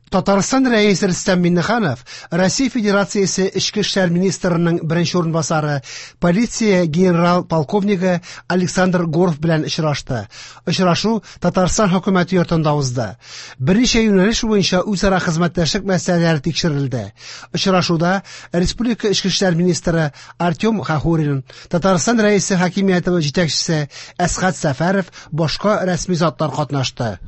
Татарстан Рәисе Рөстәм Миңнеханов Россия Федерациясе Эчке эшләр министрының беренче урынбасары, полиция генерал-полковнигы Александр Горов белән очрашты. Очрашу Татарстан хөкүмәте йортында узды. Берничә юнәлеш буенча үзара хезмәттәшлек мәсьәләләре тикшерелде. Очрашуда Республика Эчке эшләр министры Артем Хахурин, Татарстан Рәисе хакимияте җитәкчесе Әсхәт Сәфәров, башка рәсми затлар катнашты.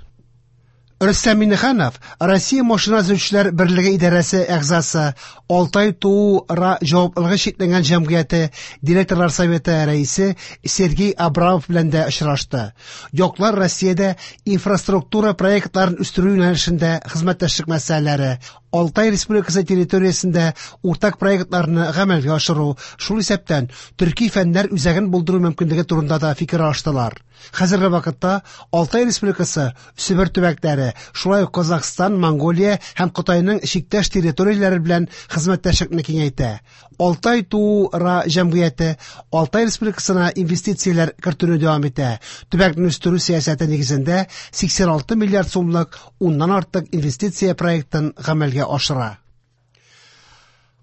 Рөстәм Миңнеханов Россия машина төзүчеләр берлеге идарәсе әгъзасы, Алтай ТУУ-РА җаваплылыгы чикләнгән җәмгыяте директорлар советы рәисе Сергей Абрамов белән дә очрашты. Яклар Россиядә инфраструктура проектларын үстерү юнәлешендә хезмәттәшлек мәсьәләләре, Алтай Республикасы территориясендә уртак проектларны гамәлгә ашыру, шул исәптән Төрки фәннәр үзәген булдыру мөмкинлеге турында да фикер алыштылар. Хәзерге вакытта Алтай Республикасы Себер төбәкләре, шулай ук Казахстан, Монголия һәм Кытайның чиктәш территорияләре белән хезмәттәшлекне киңәйтә. Алтай ТУУ-РА җәмгыяте Алтай Республикасына инвестицияләр кертүне дәвам итә. Төбәкне үстерү сәясәте нигезендә 86 миллиард сумлык уннан артык инвестиция проектын гамәлгә ашыра.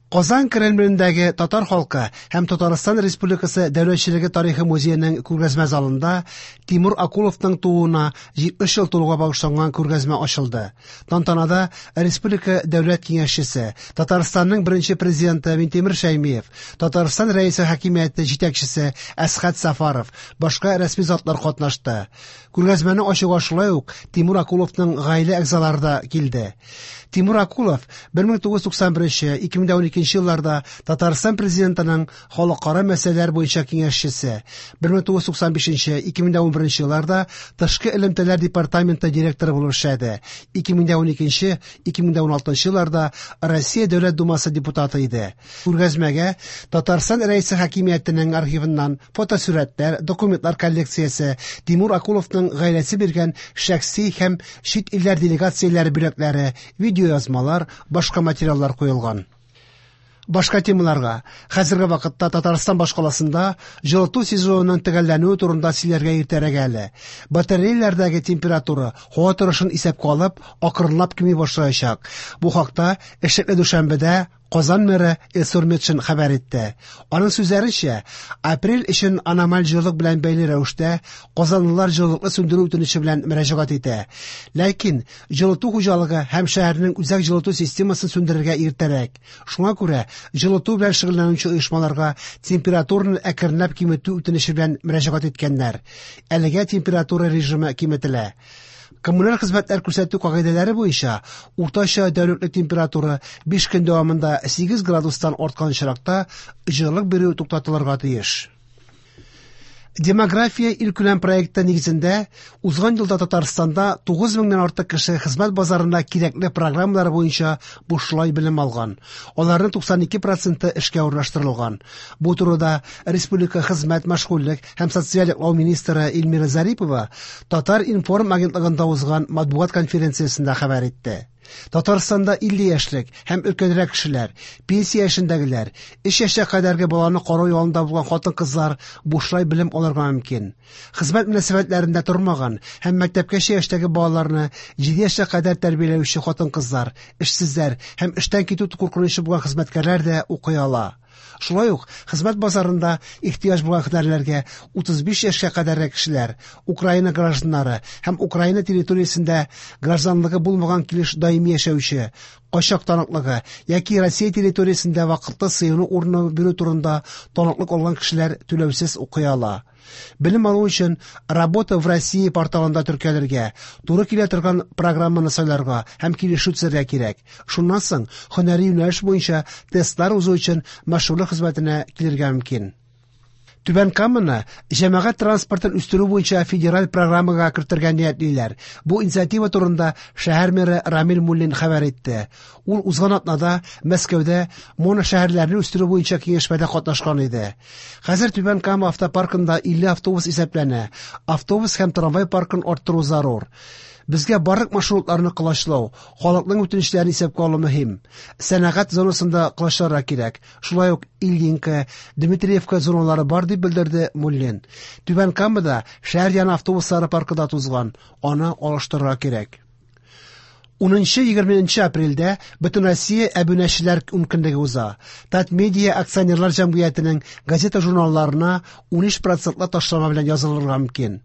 Казан Кремлендәге татар халкы һәм Татарстан Республикасы дәүләтчелеге тарихы музееның күргәзмә залында Тимур Акуловның тууына 70 ел тулуга багышланган күргәзмә ачылды. Тантанада Республика дәүләт киңәшчесе, Татарстанның беренче президенты Минтимер Шәймиев, Татарстан Рәисе хакимияте җитәкчесе Әсхәт Сафаров, башка рәсми затлар катнашты. Күргәзмәне ачуга шулай ук Тимур Акуловның гаилә әгъзалары да килде. Тимур Акулов 1991-2012 елларда Татарстан президентының халыкара мәсьәләләр буенча киңәшчесе, 1995-2011 елларда Тышкы элемтәләр департаменты директоры булып эшләде. 2012-2016 елларда Россия Дәүләт Думасы депутаты иде. Күргәзмәгә Татарстан Рәисе хакимиятенең архивыннан фотосурәтләр, документлар коллекциясе, Тимур Акуловның гаиләсе биргән шәхси һәм чит илләр делегацияләре бүләкләре, видеоязмалар, башка материаллар куелган. Башка темаларга. Хәзерге вакытта Татарстан башкаласында җылыту сезонының төгәлләнүе турында сөйләргә иртәрәк әле. Батареяләрдәге температура һава торышын исәпкә алып, акрынлап кими башлаячак. Бу хакта эшлекле дүшәмбедә Казан мэры Илсур Метшин хәбәр итте. Аның сүзләренчә, апрель өчен аномаль җылылык белән бәйле рәвештә казанлылар җылылыкны сүндерү үтенече белән мөрәҗәгать итә. Ләкин җылыту хуҗалыгы һәм шәһәрнең үзәк җылыту системасын сүндерергә иртәрәк. Шуңа күрә җылыту белән шөгыльләнүче оешмаларга температураны әкренләп киметү үтенече белән мөрәҗәгать иткәннәр. Әлегә температура режимы киметелә. Коммуналь хезмәтләр күрсәтү кагыйдәләре буенча уртача тәүлеклек температура 5 көн дәвамында 8 градустан арткан очракта җылылык бирү туктатылырга тиеш. Демография илкүләм проекты нигезендә узган елда Татарстанда 9 меңнән артык кеше хезмәт базарында кирәкле программалар буенча бушлай белем алган. Аларның 92 проценты эшкә урнаштырылган. Бу турыда республика хезмәт, мәшгульлек һәм социаль яклау министры Эльмира Зарипова Татар-информ агентлыгында узган матбугат конференциясендә хәбәр итте. Татарстанда 50 яшьлек һәм өлкәнрәк кешеләр, пенсия яшендәгеләр, 3 яшькә кадәрге баланы карау ялында булган хатын-кызлар бушлай белем алырга мөмкин. Хезмәт мөнәсәбәтләрендә тормаган һәм мәктәпкәчә яшьтәге балаларны 7 яшькә кадәр тәрбияләүче хатын-кызлар, эшсезләр һәм эштән китү куркынычы булган хезмәткәрләр дә укый ала. Шулай ук хезмәт базарында ихтыяҗ булган һөнәрләргә 35 яшькә кадәрге кешеләр, Украина гражданнары һәм Украина территориясендә гражданлыгы булмаган килеш даими яшәүче, качак таныклыгы яки Россия территориясендә вакытлы сыену урыны бирү турында таныклык алган кешеләр түләүсез укый ала. Белем алу өчен Работа в России порталында теркәлергә, туры килә торган программаны сайларга һәм килешү төзергә кирәк. Шуннан соң һөнәри юнәлеш буенча тестлар узу өчен мәшгульлек хезмәтенә килергә мөмкин. Түбән Каманы җәмәгать транспортын үстерү буенча федераль программага кертергә ниятлиләр. Бу инициатива турында шәһәр мэры Рамил Муллин хәбәр итте. Ул узган атнада Мәскәүдә моношәһәрләрне үстерү буенча киңәшмәдә катнашкан иде. Хәзер Түбән Кама автопаркында 50 автобус исәпләнә. Автобус һәм трамвай паркын арттыру зарур. Безгә барлык маршрутларны колачлау, халыкның үтенечләрен исәпкә алу мөһим. Сәнәгать зонасында колачларга кирәк. Шулай ук Ильинка, Дмитриевка зоналары бар, дип белдерде Муллин. Түбән Камада шәһәр яны автобуслары паркы да тузган, аны алыштырырга кирәк. 10-20 апрельдә Бөтенроссия әбүнәчеләр ункөнлеге уза. Татмедиа акционерлар җәмгыятенең газета-журналларына 13 процентлы ташлама белән язылырга мөмкин.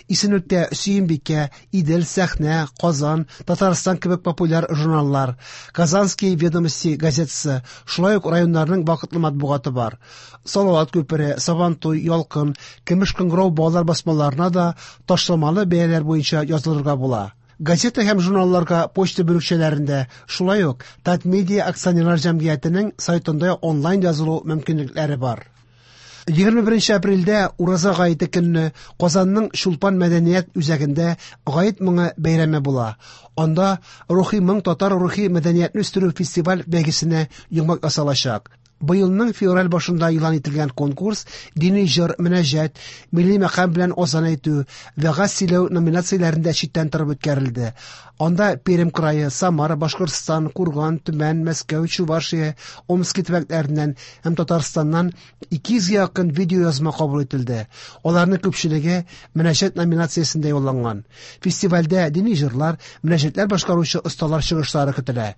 Исемлектә Сөембикә, Идел, Сәхнә, Казан, Татарстан кебек популяр журналлар, Казанские ведомости газетасы, шулай ук районнарның вакытлы матбугаты бар. Салават күпере, Сабантуй, Ялкын, Көмеш кыңгырау балалар басмаларына да ташламалы бәяләр буенча язылырга була. Газета һәм журналларга почта бүлекчәләрендә, шулай ук Татмедиа акционерлар җәмгыятенең сайтында онлайн язылу мөмкинлекләре бар. 21 апрельдә Ураза гаете көнне Казанның Чулпан мәдәният үзәгендә Гает моңы бәйрәме була. Анда Рухи моң татар рухи мәдәниятне үстерү фестиваль бәйгесенә йомгак ясалачак. Быелның февраль башында игълан ителгән конкурс дини җыр, мөнәҗәт, милли мәкам белән азан әйтү, вәгазь сөйләү номинацияләрендә читтән торып үткәрелде. Анда Пермь крае, Самара, Башкортстан, Курган, Төмән, Мәскәү, Чувашия, Омски төбәкләреннән һәм Татарстаннан 200 гә якын видеоязма кабул ителде. Аларның күпчелеге мөнәҗәт номинациясендә юлланган. Фестивальдә дини җырлар, мөнәҗәтләр башкаручы осталар чыгышлары көтелә.